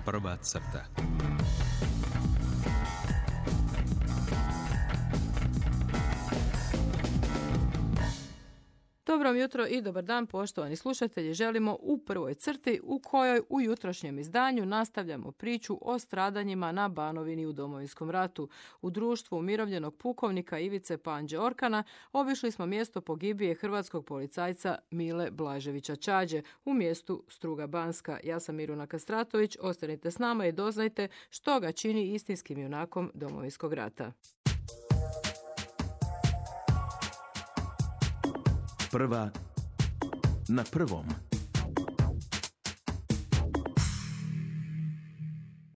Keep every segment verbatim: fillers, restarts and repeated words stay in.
Prva crta. Dobro jutro i dobar dan, poštovani slušatelji. Želimo u prvoj crti u kojoj u jutrošnjem izdanju nastavljamo priču o stradanjima na Banovini u Domovinskom ratu. U društvu umirovljenog pukovnika Ivice Panđe Orkana obišli smo mjesto pogibije hrvatskog policajca Mile Blaževića Čađe u mjestu Struga Banska. Ja sam Miruna Kastratović, ostanite s nama i doznajte što ga čini istinskim junakom Domovinskog rata. Prva na prvom.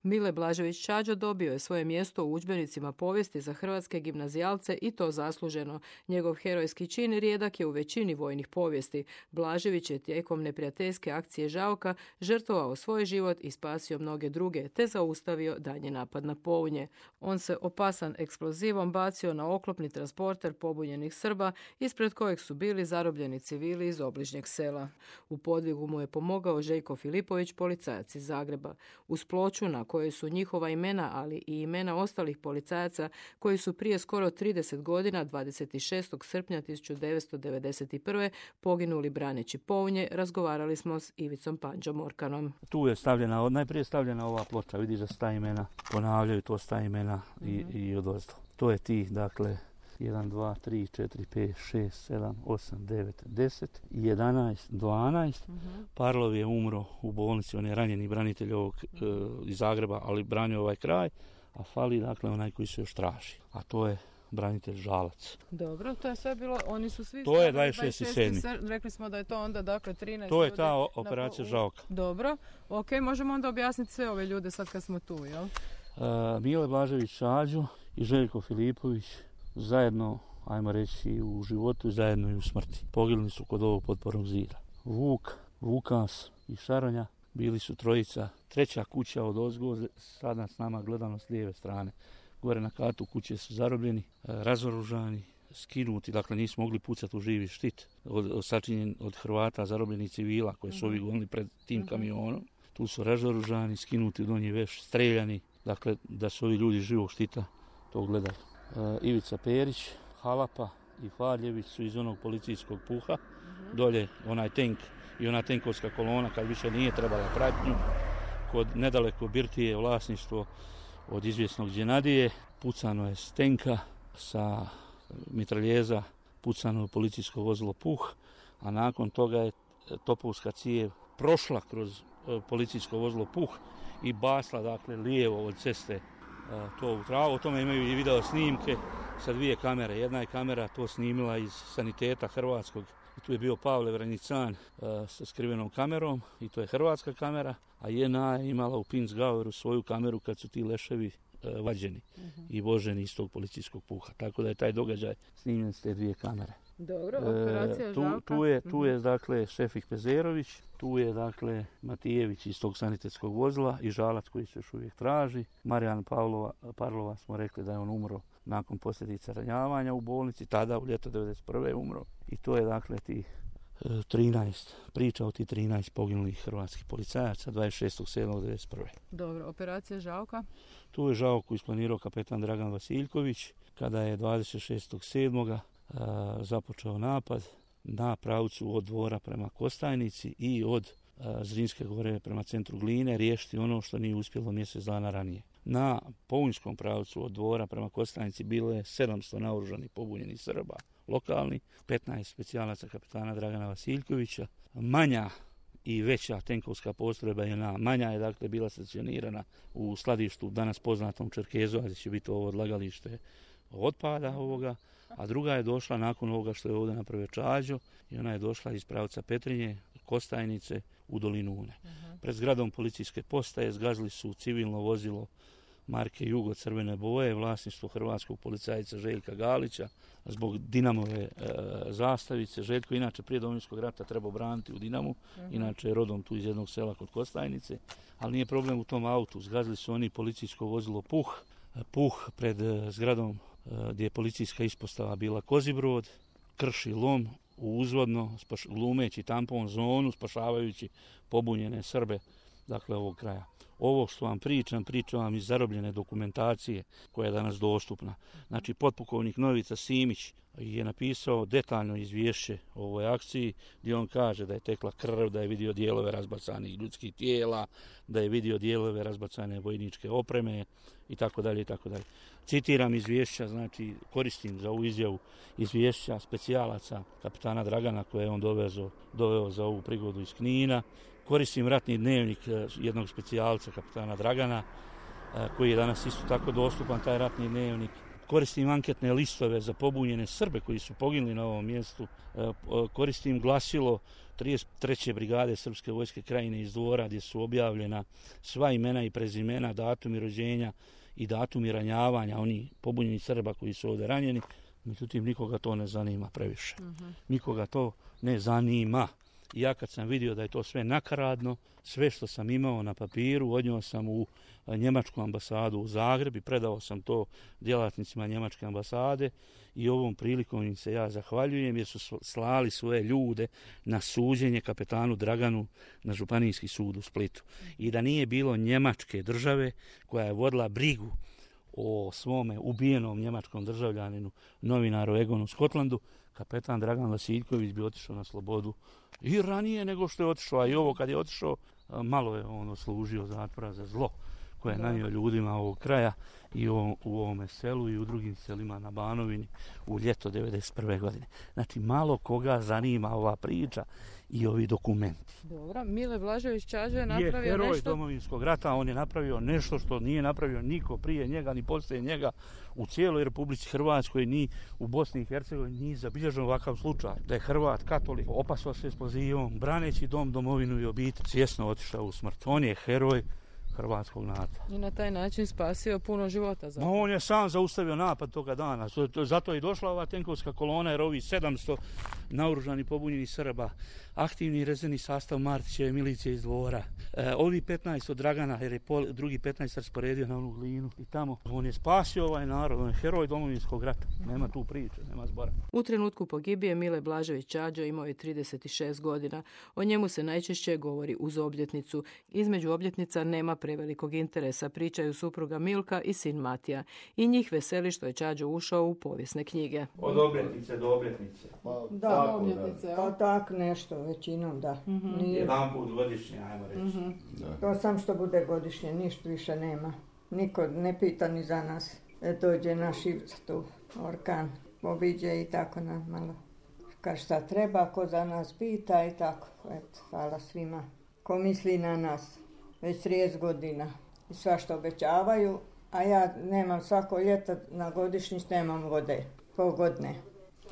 Mile Blažević Čađo dobio je svoje mjesto u udžbenicima povijesti za hrvatske gimnazijalce i to zasluženo. Njegov herojski čin rijedak je u većini vojnih povijesti. Blažević je tijekom neprijateljske akcije Žauka žrtvovao svoj život i spasio mnoge druge, te zaustavio daljnji napad na Pounje. On se opasan eksplozivom bacio na oklopni transporter pobunjenih Srba, ispred kojeg su bili zarobljeni civili iz obližnjeg sela. U podvigu mu je pomogao Željko Filipović, policajac iz Zagreba. Uz ploču na koje su njihova imena, ali i imena ostalih policajaca koji su prije skoro trideset godina, dvadeset šestog srpnja tisuću devetsto devedeset prve poginuli braneći Pounje, razgovarali smo s Ivicom Panđom Orkanom. Tu je stavljena, najprije stavljena ova ploča, vidiš da sta imena, ponavljaju to sta imena i, mm-hmm. i odozdo. To je tih, dakle, jedan, dva, tri, četiri, pet, šest, sedam, osam, devet, deset, jedanaest, dvanaest. Mm-hmm. Parlov je umro u bolnici, on je ranjeni branitelj ovog e, iz Zagreba, ali branio ovaj kraj, a fali dakle onaj koji se još traži, a to je branitelj Žalac. Dobro, to je sve bilo, oni su svi... To je dvadeset šesti sedmi Rekli smo da je to onda dakle trinaest To je ta operacija Žauka. Dobro, ok, možemo onda objasniti sve ove ljude sad kad smo tu, jel? E, Mile Blažević Čađo i Željko Filipović zajedno, ajmo reći, u životu i zajedno i u smrti. Poginuli su kod ovog potpornog zida. Vuk, Vukas i Šaronja bili su trojica. Treća kuća od ozgo, sada s nama gledano s lijeve strane. Gore na katu kuće su zarobljeni, razoružani, skinuti, dakle nisu mogli pucati u živi štit, od, od, sačinjen od Hrvata, zarobljenih civila koje su ovi gonili pred tim kamionom. Tu su razoružani, skinuti u donji veš, streljani, dakle da su ovi ljudi živog štita to gledali. Uh, Ivica Perić, Halapa i Farljević su iz onog policijskog puha, mm-hmm. dolje onaj tank i ona tenkovska kolona kad više nije trebala pratnju, kod nedaleko birtije vlasništvo od izvjesnog Đenadije, pucano je s tenka, sa mitraljeza pucano je policijsko vozilo puh, a nakon toga je topovska cijev prošla kroz uh, policijsko vozilo puh i basla dakle lijevo od ceste to u travu. O tome imaju i video snimke sa dvije kamere. Jedna je kamera to snimila iz saniteta hrvatskog. I tu je bio Pavle Vranjican uh, sa skrivenom kamerom i to je hrvatska kamera, a jedna je imala u Pinsgaueru svoju kameru kad su ti leševi uh, vađeni uh-huh. i voženi iz tog policijskog puha. Tako da je taj događaj snimljen s te dvije kamere. Dobro, operacija e, tu, Žauka. Tu je, tu je dakle Šefik Pezerović, tu je dakle Matijević iz tog sanitetskog vozila i Žalac koji se još uvijek traži. Marijan Pavlova, Parlova smo rekli da je on umro nakon posljedica ranjavanja u bolnici, tada u ljeto devedeset prve je umro. I to je dakle tih e, trinaest, priča o tih trinaest poginulih hrvatskih policajaca dvadeset šestog sedmog devedeset prve Dobro, operacija Žauka. Tu je Žauku isplanirao kapetan Dragan Vasiljković kada je dvadeset šestog sedmog započeo napad na pravcu od Dvora prema Kostajnici i od a, Zrinske gore prema centru Gline riješiti ono što nije uspjelo mjesec dana ranije. Na Pounjskom pravcu od Dvora prema Kostajnici bilo je sedamsto naoružanih pobunjenih Srba lokalni, petnaest specijalaca kapetana Dragana Vasiljkovića, manja i veća tenkovska postrojba je na manja je dakle bila stacionirana u skladištu danas poznatom Čerkezu, gdje će biti ovo odlagalište otpada ovoga, a druga je došla nakon ovoga što je ovdje napravio Čađo i ona je došla iz pravca Petrinje, Kostajnice u dolinu Une. Uh-huh. Pred zgradom policijske postaje zgazili su civilno vozilo marke Jugo crvene boje, vlasništvo hrvatskog policajca Željka Galića, zbog Dinamove e, zastavice. Željko inače prije Domovinskog rata trebao braniti u Dinamu, uh-huh. inače je rodom tu iz jednog sela kod Kostajnice, ali nije problem u tom autu. Zgazili su oni policijsko vozilo Puh, Puh pred zgradom gdje je policijska ispostava bila Kozibrod, krši lom u uzvodno, glumeći tampon zonu, spašavajući pobunjene Srbe, dakle ovog kraja. ovo što vam pričam, pričam vam iz zarobljene dokumentacije koja je danas dostupna. Znači, potpukovnik Novica Simić je napisao detaljno izvješće o ovoj akciji gdje on kaže da je tekla krv, da je vidio dijelove razbacanih ljudskih tijela, da je vidio dijelove razbacane vojničke opreme i tako dalje i tako dalje. Citiram izvješća, znači koristim za ovu izjavu izvješća specijalaca kapetana Dragana koje je on dovezo, doveo za ovu prigodu iz Knina. Koristim ratni dnevnik jednog specijalca kapetana Dragana koji je danas isto tako dostupan, taj ratni dnevnik. Koristim anketne listove za pobunjene Srbe koji su poginuli na ovom mjestu. Koristim glasilo trideset treće brigade Srpske vojske Krajine iz Dvora gdje su objavljena sva imena i prezimena, datumi rođenja i datumi ranjavanja oni pobunjeni Srba koji su ovdje ranjeni. Međutim, nikoga to ne zanima previše. Uh-huh. Nikoga to ne zanima. I ja kad sam vidio da je to sve nakaradno, sve što sam imao na papiru, odnio sam u njemačku ambasadu u Zagreb i predao sam to djelatnicima njemačke ambasade i ovom prilikom im se ja zahvaljujem jer su slali svoje ljude na suđenje kapetanu Draganu na Županijski sud u Splitu. I da nije bilo njemačke države koja je vodila brigu o svome ubijenom njemačkom državljaninu, novinaru Egonu Skotlandu, kapetan Dragan Vasiljković bi otišao na slobodu i ranije nego što je otišao, a i ovo kad je otišao, malo je ono služio zatvora za zlo koje je nanio ljudima ovog kraja i u, u ovome selu i u drugim selima na Banovini u ljeto devedeset prve godine. Znači, malo koga zanima ova priča i ovi dokumenti. Dobro, Mile Blažević Čađa je napravio nešto... Je heroj nešto... Domovinskog rata, on je napravio nešto što nije napravio niko prije njega, ni poslije njega u cijeloj Republici Hrvatskoj, ni u Bosni i Hercegovini, ni zabilježen ovakav slučaj. Da je Hrvat, katolik, opasao se eksplozivom, braneći dom, domovinu i obitelj, svjesno otišao u smrt. On je heroj hrvatskog naroda. I na taj način spasio puno života. No, on je sam zaustavio napad toga dana. Zato je došla ova tenkovska kolona jer ovi sedamsto naoružani pobunjeni Srba, aktivni rezervni sastav Martićeve milicije iz Dvora, e, ovi petnaest od Dragana jer je pol, drugi petnaest rasporedio na onu glinu i tamo. On je spasio ovaj narod, on je heroj Domovinskog rata. Nema tu priče, nema zbora. U trenutku pogibije Mile Blažević Čađa imao je trideset šest godina. O njemu se najčešće govori uz obljetnicu. Između obljetnica nema prevelikog interesa, pričaju supruga Milka i sin Matija. I njih veseli što je Čađo ušao u povijesne knjige. Od obljetnice do obljetnice. Pa, da, tako, obljetnice. Da. Pa tak nešto, većinom da. Mm-hmm. Nije... Jedan put godišnje, ajmo reći. Mm-hmm. To sam što bude godišnje, ništa više nema. Niko ne pita ni za nas. E, dođe na Šivca tu, orkan, obiđe i tako nam malo. Kad šta treba, ko za nas pita i tako. Eto, hvala svima. Ko misli na nas. Već trideset godina i svašta obećavaju, a ja nemam svako ljeto na godišnjić, nemam vode, pogodne.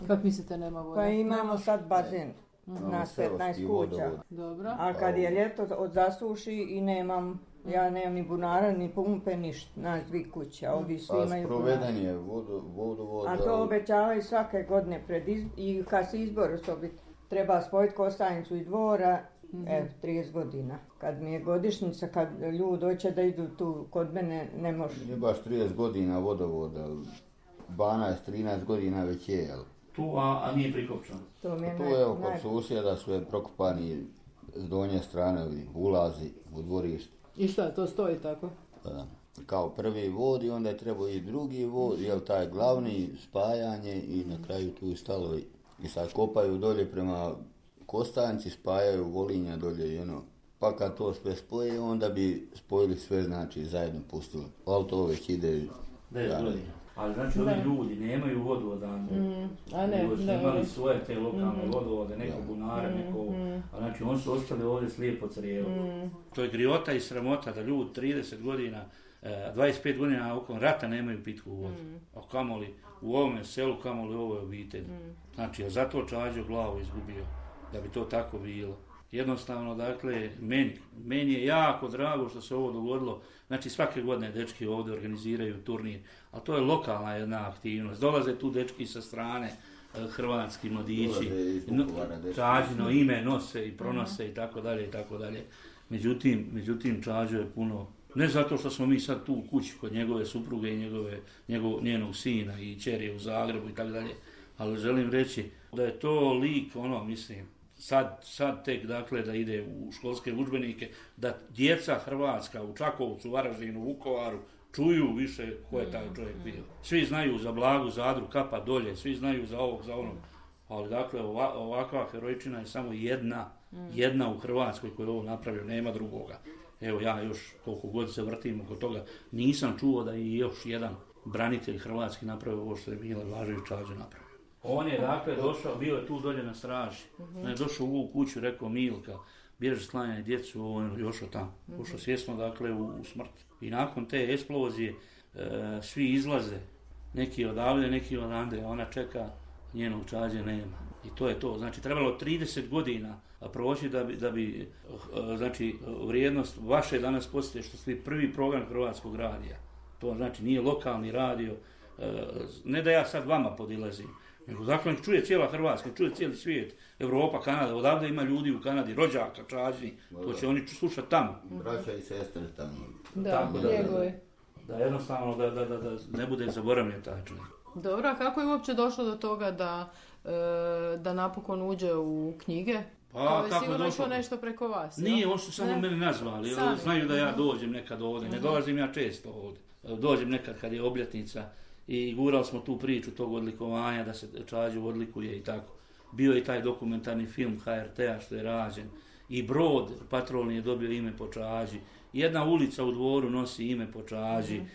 Kako mislite nema vode? Pa imamo sad bazen, mm-hmm. na petnaest kuća, dobro. A kad je ljeto od zasuši i nemam, ja nemam ni bunara, ni pumpe, ništa, nas dvi kuće, a ovi svi imaju bunara. Sproveden je vodu, vodu, voda. A to obećavaju svake godine pred izbor, i kad se izbor osobit, treba spojiti Kostajnicu i Dvora. Mm-hmm. Evo, trideset godina. Kad mi je godišnjica, kad ljudi hoće da idu tu kod mene, ne može. Nije baš trideset godina vodovoda, dvanaest trinaest godina već je, jel? Tu, a, a nije prikopčano. To mi je tu naj, evo, kod naj... susjeda su je prokopani s donje strane, ulazi u dvorište. I šta, to stoji tako? Da. Kao prvi vod i onda je trebao i drugi vod, jel taj glavni, spajanje i na kraju tu stalo i sad kopaju dolje prema Kostanci, spajaju Volinja dolje i ono. Pa kad to sve spoje, onda bi spojili sve, znači zajedno pustili. Ali to već ide... deset godina. Ali znači ovi ljudi nemaju vodu odande. Mm, a ne, nego su ne, imali ne. svoje te lokalne mm. vodovode, neko ja. bunare, mm, neko... Mm. A znači oni su ostali ovdje slijepo crijevo. Mm. To je griota i sramota da ljudi trideset godina, dvadeset pet godina okon rata nemaju pitku vodu. Mm. A kamoli u ovome selu, kamoli u ovoj obitelji. Mm. Znači, a zato Čađo glavu izgubio, da bi to tako bilo. Jednostavno, dakle, meni, meni je jako drago što se ovo dogodilo. Znači, svake godine dečki ovdje organiziraju turnir, a to je lokalna jedna aktivnost. Dolaze tu dečki sa strane, hrvatski mladići, no, Čađino ime nose i pronose i tako dalje i tako dalje. Međutim, međutim, Čađo je puno, ne zato što smo mi sad tu u kući kod njegove supruge i njegove, njegov, njenog sina i ćerije u Zagrebu i tako dalje, ali želim reći da je to lik, ono, mislim, sad, sad tek dakle da ide u školske udžbenike, da djeca hrvatska u Čakovcu, Varaždinu, Vukovaru čuju više ko je taj čovjek bio. Svi znaju za Blagu Zadru, Kapa dolje, svi znaju za ovog, za onog. Ali dakle ova, ovakva herojčina je samo jedna, jedna u Hrvatskoj koja je ovo napravio, nema drugoga. Evo ja još koliko god se vrtim oko toga, nisam čuo da je još jedan branitelj hrvatski napravio ovo što je Mile Blažević Čađo napravio. On je dakle došao, bio je tu dolje na straži, uh-huh. je došao u ovu kuću, rekao Milka, bježi sklanjaj djecu, ovo je još tamo, uh-huh. ušao svjesno dakle u, u smrt. I nakon te eksplozije e, svi izlaze, neki odavde, neki odande, a ona čeka, njenog Čađe nema. I to je to, znači trebalo trideset godina proći da bi, da bi znači, vrijednost vaše danas postoje što ste prvi program Hrvatskog radija. To znači nije lokalni radio, ne da ja sad vama podilazim, nego zakon čuje cijela Hrvatska, čuje cijeli svijet, Europa, Kanada, odavde ima ljudi u Kanadi, rođaka, Čađi, to će oni slušati tamo. Braća i sestre tamo. Da, Tako da, njegove. Da, da jednostavno da, da, da, da ne bude zaboravljen taj čovjek. Dobro, a kako je uopće došlo do toga da, e, da napokon uđe u knjige? Pa, to je kako sigurno došlo? išlo nešto preko vas. Nije, ja? oni su samo ne? mene nazvali, Sami. znaju da ja dođem nekad ovdje, ne dolazim ja često ovdje. Dođem nekad kad je obljetnica i gurali smo tu priču tog odlikovanja da se Čađu odlikuje i tako. Bio je taj dokumentarni film ha er te-a što je rađen i brod patrolni je dobio ime po Čađi. Jedna ulica u Dvoru nosi ime po Čađi. Mm-hmm.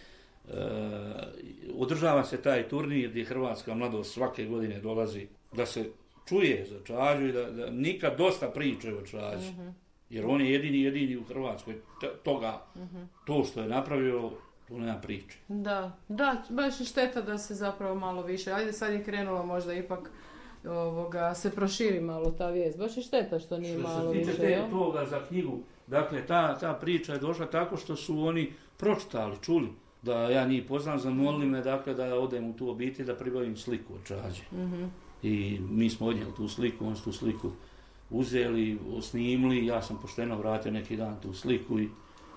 E, održava se taj turnir gdje hrvatska mladost svake godine dolazi da se čuje za Čađu i da, da nikad dosta priče o Čađi. Mm-hmm. Jer on je jedini, jedini u Hrvatskoj t- toga, mm-hmm. to što je napravio, tu nema priče. Da, da, baš je šteta da se zapravo malo više, ajde sad je krenulo možda ipak ovoga, se proširi malo ta vijest, baš je šteta što nije što malo više. Što se tiče te, toga za knjigu, dakle ta, ta priča je došla tako što su oni pročitali, čuli da ja njih poznam, zamolili me dakle da odem u tu obitelj da pribavim sliku od Čađe. Mm-hmm. I mi smo odnijeli tu sliku, on su tu sliku uzeli, snimili, ja sam pošteno vratio neki dan tu sliku i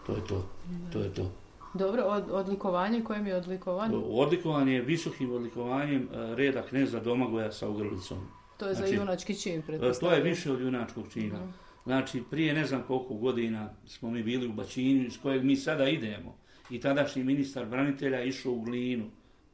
to je to, mm-hmm. to je to. Dobro, od, odlikovanje, kojim je odlikovanje? Odlikovanje je visokim odlikovanjem reda kneza Domagoja sa ogrlicom. To je znači, za junački čin, pretpostavljam. To je više od junačkog čina. Mm-hmm. Znači, prije ne znam koliko godina smo mi bili u Bačinju, iz kojeg mi sada idemo. I tadašnji ministar branitelja išao u Glinu.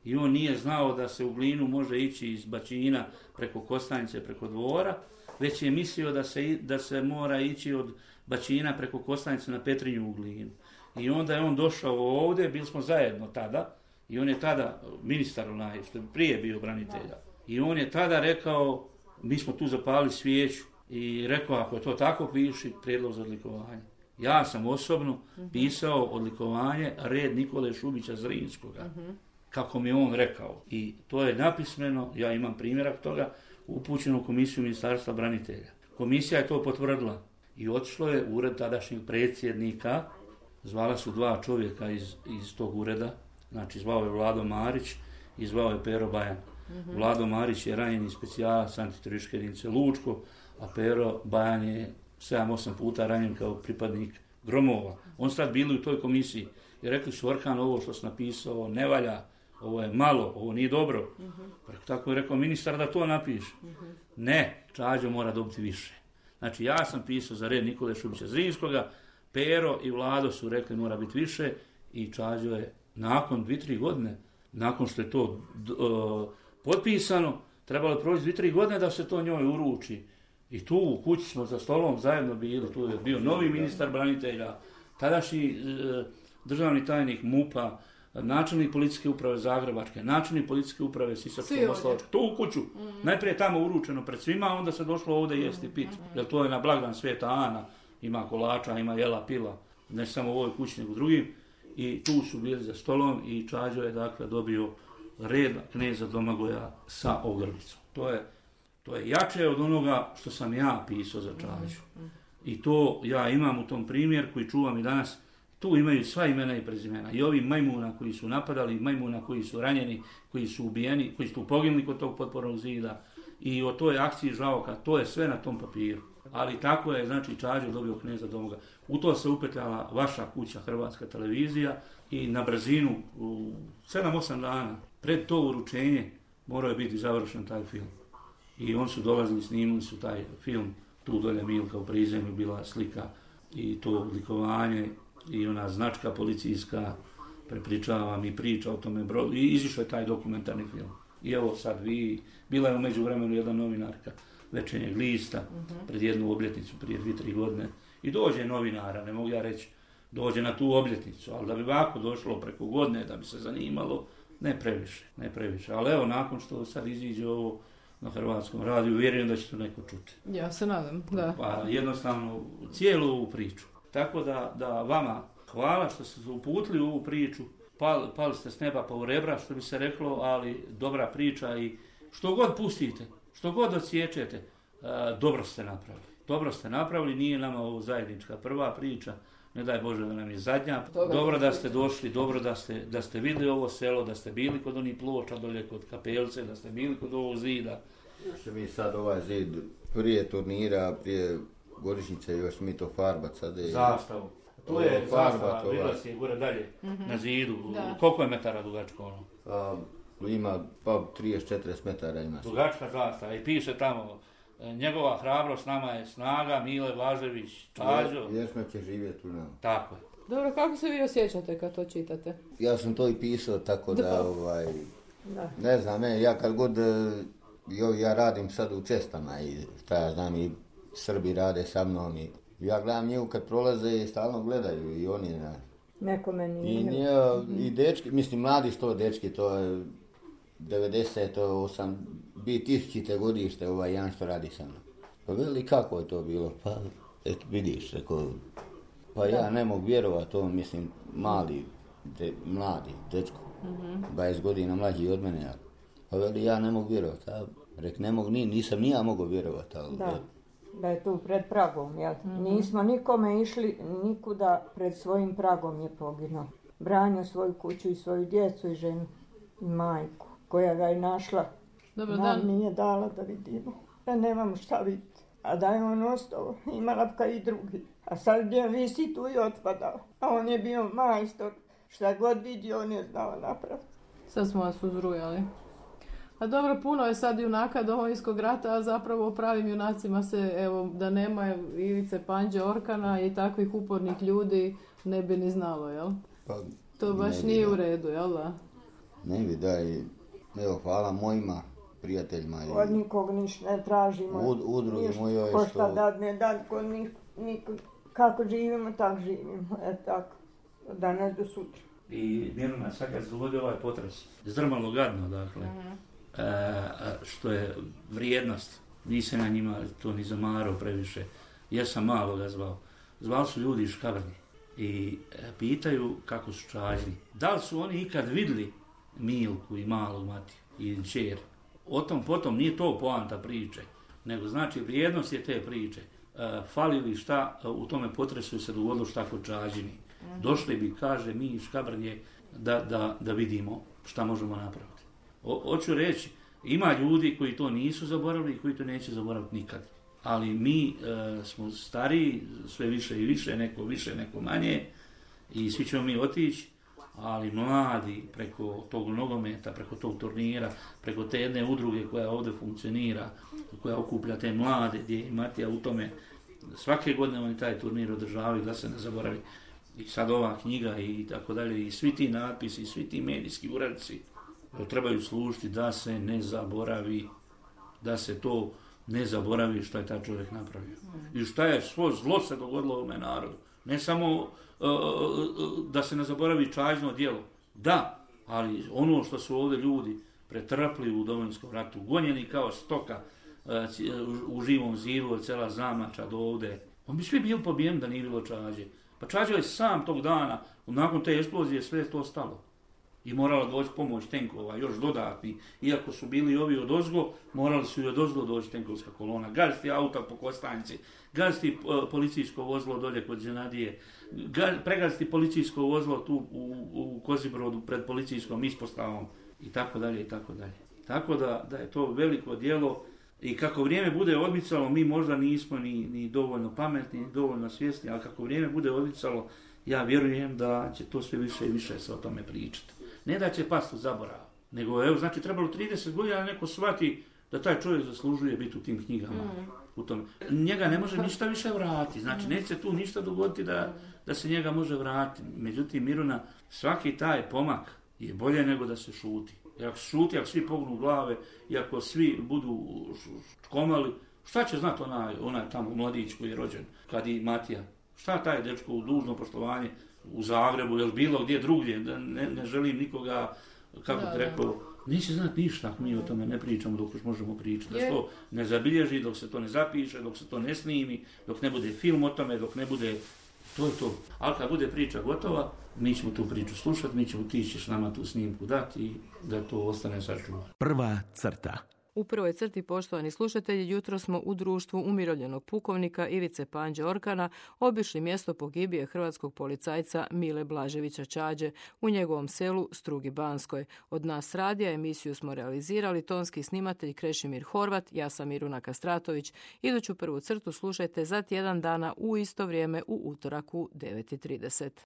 I on nije znao da se u Glinu može ići iz Bačina preko Kostajnice, preko Dvora, već je mislio da se, da se mora ići od Bačina preko Kostajnice na Petrinju u Glinu. I onda je on došao ovdje, bili smo zajedno tada, i on je tada, ministar onaj, što je prije bio branitelja, i on je tada rekao, mi smo tu zapalili svijeću, i rekao, ako je to tako, piši prijedlog za odlikovanje. Ja sam osobno uh-huh. pisao odlikovanje red Nikole Šubića Zrinskoga, uh-huh. kako mi on rekao. I to je napismeno, ja imam primjerak toga, upućeno u komisiju Ministarstva branitelja. Komisija je to potvrdila i otišlo je u ured tadašnjeg predsjednika, zvala su dva čovjeka iz, iz tog ureda, znači zvao je Vlado Marić i zvao je Pero Bajan. Mm-hmm. Vlado Marić je ranjeni specijalac antiterorističke jedinice Lučko, a Pero Bajan je sedam osam puta ranjen kao pripadnik Gromova. On sad bili u toj komisiji i rekli su, Orkan, ovo što si napisao ne valja, ovo je malo, ovo nije dobro. Mm-hmm. Tako je rekao ministar da to napiše. Mm-hmm. Ne, Čađo mora dobiti više. Znači ja sam pisao za red Nikole Šubića Zrinskoga, Pero i Vlado su rekli mora biti više i Čađo je nakon dvije tri godine, nakon što je to uh, potpisano, trebalo proći dvije tri godine da se to njoj uruči. I tu u kući smo za stolom zajedno bili, tu je bio novi ministar branitelja, tadašnji uh, državni tajnik MUP-a, načelnik policijske uprave Zagrebačke, načelnik policijske uprave Sisačko-moslavačke, tu u kuću. Mm-hmm. Najprije tamo uručeno pred svima, onda se došlo ovdje jesti pit, mm-hmm. jer to je na blagdan Sveta Ana. Ima kolača, ima jela, pila, ne samo u ovoj kući, nego u drugim. I tu su bili za stolom i Čađo je dakle dobio red kneza Domagoja sa ogrlicom. To je, to je jače od onoga što sam ja pisao za Čađu. I to ja imam u tom primjer koji čuvam i danas. Tu imaju sva imena i prezimena. I ovi majmuna koji su napadali, majmuna koji su ranjeni, koji su ubijeni, koji su poginuli kod tog potpornog zida. I o toj akciji Žaoka, to je sve na tom papiru. Ali tako je, znači, Čađo dobio kneza Domagoja. U to se upetljala vaša kuća, Hrvatska televizija, i na brzinu u sedam osam dana pred to uručenje morao je biti završen taj film. I on su dolazili, snimili su taj film tu dolje Milka u prizemlju bila slika i to odlikovanje i ona značka policijska, prepričavam i priča o tome brodu i izišao je taj dokumentarni film. I evo sad vi, bila je u međuvremenu jedna novinarka Večernjeg lista uh-huh. pred jednu obljetnicu prije dvije, tri godine i dođe novinara, ne mogu ja reći, dođe na tu obljetnicu, ali da bi ovako došlo preko godine, da bi se zanimalo, ne previše, ne previše. Ali evo, nakon što sad iziđe ovo na Hrvatskom radiju, vjerujem da će to neko čuti. Ja se nadam, da. Pa jednostavno, cijelu ovu priču. Tako da, da vama hvala što ste uputili u ovu priču, pali, pali ste s neba pa u rebra, što bi se reklo, ali dobra priča i što god pustite, što god odsječete, dobro ste napravili. Dobro ste napravili, nije nama ovo zajednička prva priča, ne daj Bože da nam je zadnja. Dobro, dobro da ste došli, dobro da ste, da ste vidjeli ovo selo, da ste bili kod onih ploča dolje kod Kapelce, da ste bili kod ovog zida. Što mi sad ovaj zid prije turnira, prije godišnjice još mi to farbat sad je... Zastavu. Tu je zastava, vidjela si je gore dalje, mm-hmm. na zidu. Da. Koliko je metara dugačko ono? A, ima pa trideset do četrdeset metara ima. Dugačka zastava i piše tamo njegova hrabrost nama je snaga, Mile Blažević, Čađo. Vječno će živjeti u nama. Tako je. Dobro, kako se vi osjećate kad to čitate? Ja sam to i pisao, tako da, da ovaj, da. ne znam, ne, ja kad god, jo, ja radim sad u cestama i šta ja znam, i Srbi rade sa mnom i ja gledam njegu kad prolaze i stalno gledaju i oni, na, nekome nije. I, nije, i dečki, mislim, mladi što dečki, to je devedeset osam, bi tisućite godište ovaj jedan što radi sa mnom. Pa veli kako je to bilo? Pa eto vidiš, reko, pa ja ne mogu vjerovati, on mislim mali, de, mladi dečko, mm-hmm. dvadeset godina mlađi od mene. Pa veli ja ne mogu vjerovati, a rek ne mogu, ni, nisam ni ja mogao vjerovati. Ali, da, da je tu pred pragom, jel? Mm-hmm. Nismo nikome išli nikuda, pred svojim pragom je poginuo. Branio svoju kuću i svoju djecu i ženu i majku, koja ga je našla. Dobro, nam dan. Nije dala da vidimo, da nemamo šta vidjeti. A da je on ostao, imala bi kao i drugi. A sad gdje visi tu i otpadao. A on je bio majstor, šta god vidio on je znao napraviti. Sad smo vas uzrujali. A dobro, puno je sad junaka Domovinskog rata, a zapravo o pravim junacima se, evo, da nema Ivice Panđe Orkana i takvih upornih ljudi ne bi ni znalo, jel? Pa, to baš ne nije bi, u redu, jel da? Ne bi, da i, evo, hvala mojima prijateljima. Od nikog ništa ne tražimo. Ud, udruge moje je što... Ko šta dadne, dan ko nik, nik, kako živimo, tak živimo. E tako, od danas do sutra. I Miruna, sad kad se dogodio ovaj potres, zdrmalo gadno, dakle, uh-huh. e, što je vrijednost, nisam na njima to ni zamarao previše, ja sam malo ga zvao. Zvali su ljudi iz Škabrnje i e, pitaju kako su Čađini. Da li su oni ikad vidjeli Milku i malu Matiju i čer? O tom potom nije to poanta priče, nego znači vrijednost je te priče. E, fali li šta u tome potresu se dogodilo šta kod Čađini. Uh-huh. Došli bi, kaže, mi iz Škabrnje da, da, da vidimo šta možemo napraviti. O, hoću reći, ima ljudi koji to nisu zaboravili i koji to neće zaboraviti nikad. Ali mi e, smo stariji, sve više i više, neko više, neko manje i svi ćemo mi otići, ali mladi preko tog nogometa, preko tog turnira, preko te jedne udruge koja ovdje funkcionira, koja okuplja te mlade, gdje je Matija u tome, svake godine oni taj turnir održavaju da se ne zaboravi. I sad ova knjiga i tako dalje, i svi ti natpisi, i svi ti medijski uradci trebaju služiti da se ne zaboravi, da se to ne zaboravi što je taj čovjek napravio. I šta je svo zlo se dogodilo ovome narodu. Ne samo uh, da se ne zaboravi Čađino djelo. Da, ali ono što su ovdje ljudi pretrpli u Domovinskom ratu, gonjeni kao stoka uh, u živom zidu od cela Zamača do ovdje, on bi svi bili pobijeni da nije bilo Čađe. Pa Čađo je sam tog dana, nakon te eksplozije, sve to stalo. I morala doći pomoć tenkova, još dodatni. Iako su bili ovi od ozgo, morali su i od ozgo doći tenkovska kolona. Gaziti auta po Kostanjci, gaziti uh, policijsko vozilo dolje kod Ženadije, pregaziti policijsko vozilo tu u, u Kozibrodu pred policijskom ispostavom i tako dalje i tako dalje. Tako da, da je to veliko djelo. I kako vrijeme bude odmicalo, mi možda nismo ni, ni dovoljno pametni, ni dovoljno svjesni, ali kako vrijeme bude odmicalo, ja vjerujem da će to sve više i više se o tome pričati. Ne da će pasti u zaborav, nego evo, znači trebalo trideset godina neko shvati da taj čovjek zaslužuje biti u tim knjigama. Mm. U tom. Njega ne može ništa više vratiti. Znači, neće se tu ništa dogoditi da, da se njega može vratiti. Međutim, Miruna, svaki taj pomak je bolje nego da se šuti. Jer ako šuti, ako svi pognu glave i ako svi budu škomali, šta će znati onaj, onaj tamo mladić koji je rođen, kad i Matija? Šta taj dečko u dužno poštovanje u Zagrebu ili bilo gdje drugdje, ne, ne želim nikoga, kako ti rekao, neće znati ništa ako mi o tome ne pričamo dok još možemo pričati. Da se to ne zabilježi, dok se to ne zapiše, dok se to ne snimi, dok ne bude film o tome, dok ne bude... To je to. Ali kad bude priča gotova, mi ćemo tu priču slušati, mi ćemo ti ćeš nama tu snimku dati i da to ostane sačuvano. Prva crta. U prvoj crti, poštovani slušatelji, jutro smo u društvu umirovljenog pukovnika Ivice Panđe Orkana obišli mjesto pogibije hrvatskog policajca Mile Blaževića Čađe u njegovom selu Strugi Banskoj. Od nas radija emisiju smo realizirali tonski snimatelj Krešimir Horvat, ja sam Miruna Kastratović. Iduću prvu crtu slušajte za tjedan dana u isto vrijeme u utorak u devet i trideset.